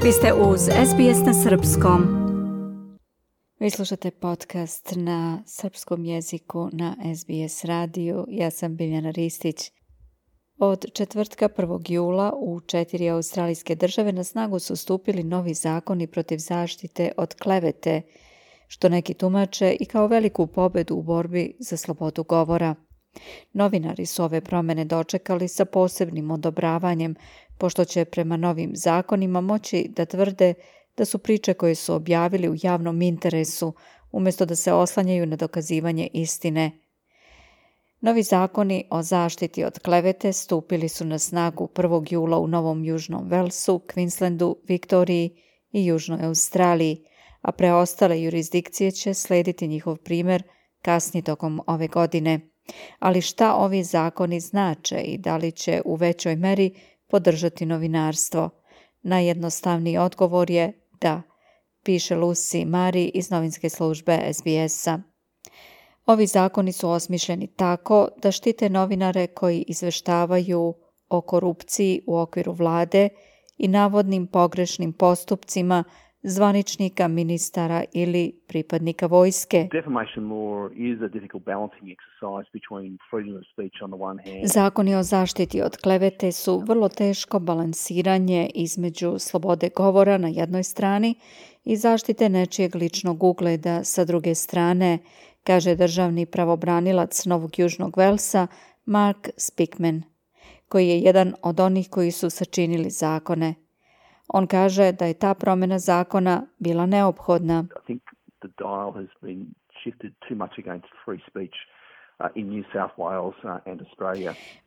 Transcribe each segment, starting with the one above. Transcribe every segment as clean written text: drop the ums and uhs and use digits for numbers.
Vi ste uz SBS na srpskom. Vi slušate podcast na srpskom jeziku na SBS radiju. Ja sam Biljana Ristić. Od četvrtka 1. jula u 4 australijske države na snagu su stupili novi zakoni protiv zaštite od klevete, što neki tumače i kao veliku pobedu u borbi za slobodu govora. Novinari su ove promjene dočekali sa posebnim odobravanjem, pošto će prema novim zakonima moći da tvrde da su priče koje su objavili u javnom interesu, umjesto da se oslanjaju na dokazivanje istine. Novi zakoni o zaštiti od klevete stupili su na snagu 1. jula u Novom Južnom Velsu, Queenslandu, Viktoriji i Južnoj Australiji, a preostale jurisdikcije će slijediti njihov primjer kasnije tokom ove godine. Ali šta ovi zakoni znače i da li će u većoj meri podržati novinarstvo? Najjednostavniji odgovor je da, piše Lucy Mari iz novinske službe SBS-a. Ovi zakoni su osmišljeni tako da štite novinare koji izveštavaju o korupciji u okviru vlade i navodnim pogrešnim postupcima zvaničnika, ministara ili pripadnika vojske. Zakoni o zaštiti od klevete su vrlo teško balansiranje između slobode govora na jednoj strani i zaštite nečijeg ličnog ugleda sa druge strane, kaže državni pravobranilac Novog Južnog Velsa Mark Speakman, koji je jedan od onih koji su sačinili zakone. On kaže da je ta promjena zakona bila neophodna.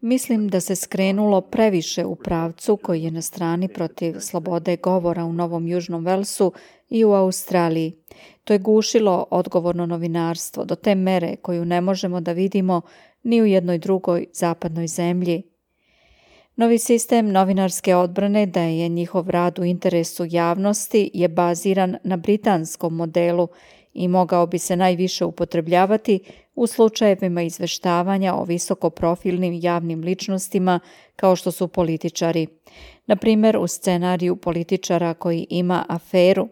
Mislim da se skrenulo previše u pravcu koji je na strani protiv slobode govora u Novom Južnom Velsu i u Australiji. To je gušilo odgovorno novinarstvo do te mere koju ne možemo da vidimo ni u jednoj drugoj zapadnoj zemlji. Novi sistem novinarske odbrane da je njihov rad u interesu javnosti je baziran na britanskom modelu i mogao bi se najviše upotrebljavati u slučajevima izveštavanja o visokoprofilnim javnim ličnostima kao što su političari. Na primjer, u scenariju političara koji ima aferu.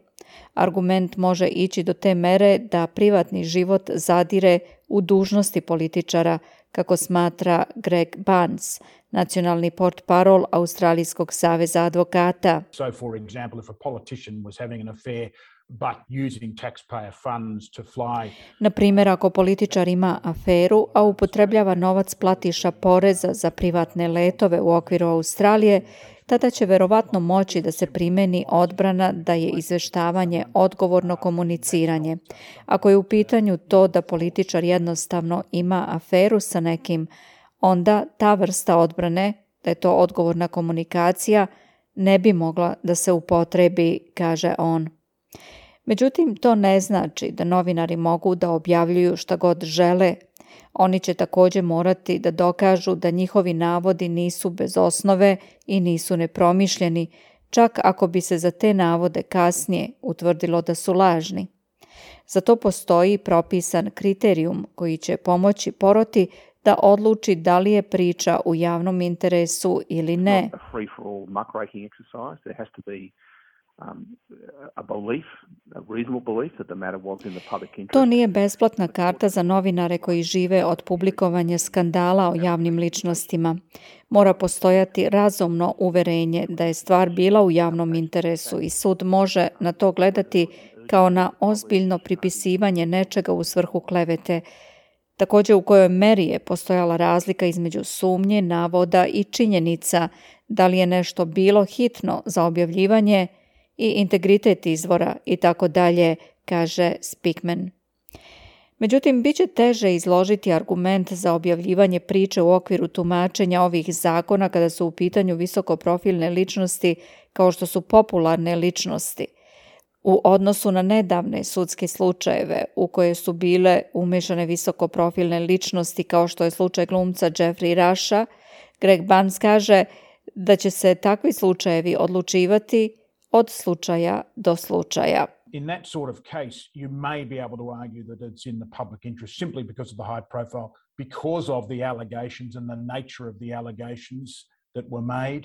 Argument može ići do te mere da privatni život zadire u dužnosti političara, kako smatra Greg Barnes, nacionalni portparol Australijskog saveza advokata. So, for example, if a politician was having an affair but using taxpayer funds to fly. Na primjer, ako političar ima aferu, a upotrebljava novac platiša poreza za privatne letove u okviru Australije, tada će verovatno moći da se primeni odbrana da je izveštavanje odgovorno komuniciranje. Ako je u pitanju to da političar jednostavno ima aferu sa nekim, onda ta vrsta odbrane, da je to odgovorna komunikacija, ne bi mogla da se upotrebi, kaže on. Međutim, to ne znači da novinari mogu da objavljuju šta god žele. Oni će također morati da dokažu da njihovi navodi nisu bez osnove i nisu nepromišljeni, čak ako bi se za te navode kasnije utvrdilo da su lažni. Za to postoji propisan kriterijum koji će pomoći poroti da odluči da li je priča u javnom interesu ili ne. To nije besplatna karta za novinare koji žive od publikovanja skandala o javnim ličnostima. Mora postojati razumno uverenje da je stvar bila u javnom interesu i sud može na to gledati kao na ozbiljno pripisivanje nečega u svrhu klevete. Također u kojoj meri je postojala razlika između sumnje, navoda i činjenica, da li je nešto bilo hitno za objavljivanje i integritet izvora i tako dalje, kaže Speakman. Međutim, bit će teže izložiti argument za objavljivanje priče u okviru tumačenja ovih zakona kada su u pitanju visokoprofilne ličnosti kao što su popularne ličnosti, u odnosu na nedavne sudske slučajeve u koje su bile umešane visokoprofilne ličnosti kao što je slučaj glumca Jeffrey Rusha. Greg Barnes kaže da će se takvi slučajevi odlučivati od slučaja do slučaja. In that sort of case, you may be able to argue that it's in the public interest simply because of the high profile, because of the allegations and the nature of the allegations that were made.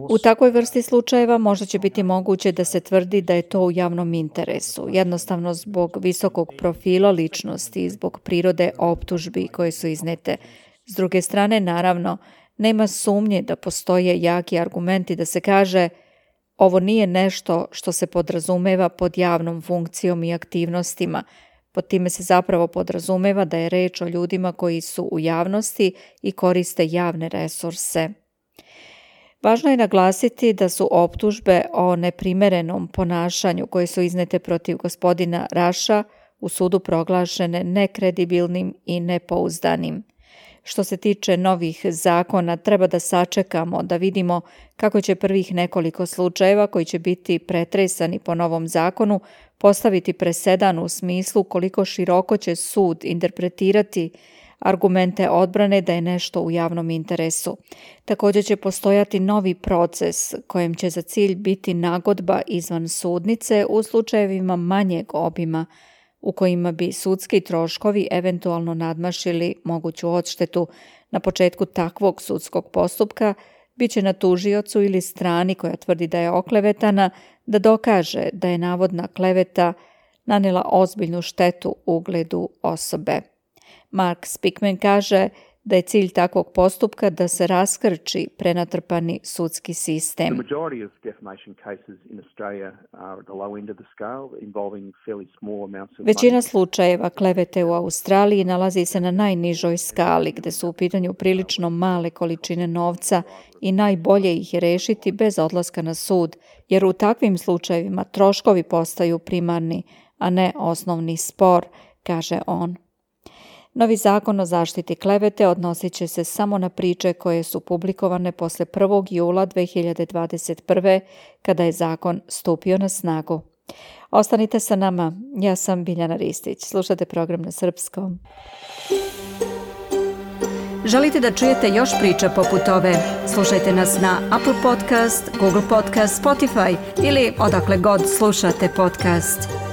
U takvoj vrsti slučajeva možda će biti moguće da se tvrdi da je to u javnom interesu, jednostavno zbog visokog profila ličnosti i zbog prirode optužbi koje su iznete. S druge strane, naravno, nema sumnje da postoje jaki argumenti da se kaže ovo nije nešto što se podrazumeva pod javnom funkcijom i aktivnostima. Pod time se zapravo podrazumeva da je reč o ljudima koji su u javnosti i koriste javne resurse. Važno je naglasiti da su optužbe o neprimerenom ponašanju koje su iznete protiv gospodina Rusha u sudu proglašene nekredibilnim i nepouzdanim. Što se tiče novih zakona, treba da sačekamo da vidimo kako će prvih nekoliko slučajeva koji će biti pretresani po novom zakonu postaviti presedan u smislu koliko široko će sud interpretirati argumente odbrane da je nešto u javnom interesu. Također će postojati novi proces kojem će za cilj biti nagodba izvan sudnice u slučajevima manjeg obima u kojima bi sudski troškovi eventualno nadmašili moguću odštetu. Na početku takvog sudskog postupka bit će na tužiocu ili strani koja tvrdi da je oklevetana da dokaže da je navodna kleveta nanela ozbiljnu štetu ugledu osobe. Mark Speakman kaže da je cilj takvog postupka da se raskrči prenatrpani sudski sistem. Većina slučajeva klevete u Australiji nalazi se na najnižoj skali, gde su u pitanju prilično male količine novca i najbolje ih je rešiti bez odlaska na sud, jer u takvim slučajevima troškovi postaju primarni, a ne osnovni spor, kaže on. Novi zakon o zaštiti klevete odnosit će se samo na priče koje su publikovane posle 1. jula 2021. kada je zakon stupio na snagu. Ostanite sa nama, ja sam Biljana Ristić. Slušate program na srpskom. Želite da čujete još priča poput ove? Slušajte nas na Apple Podcast, Google Podcast, Spotify ili odakle god slušate podcast.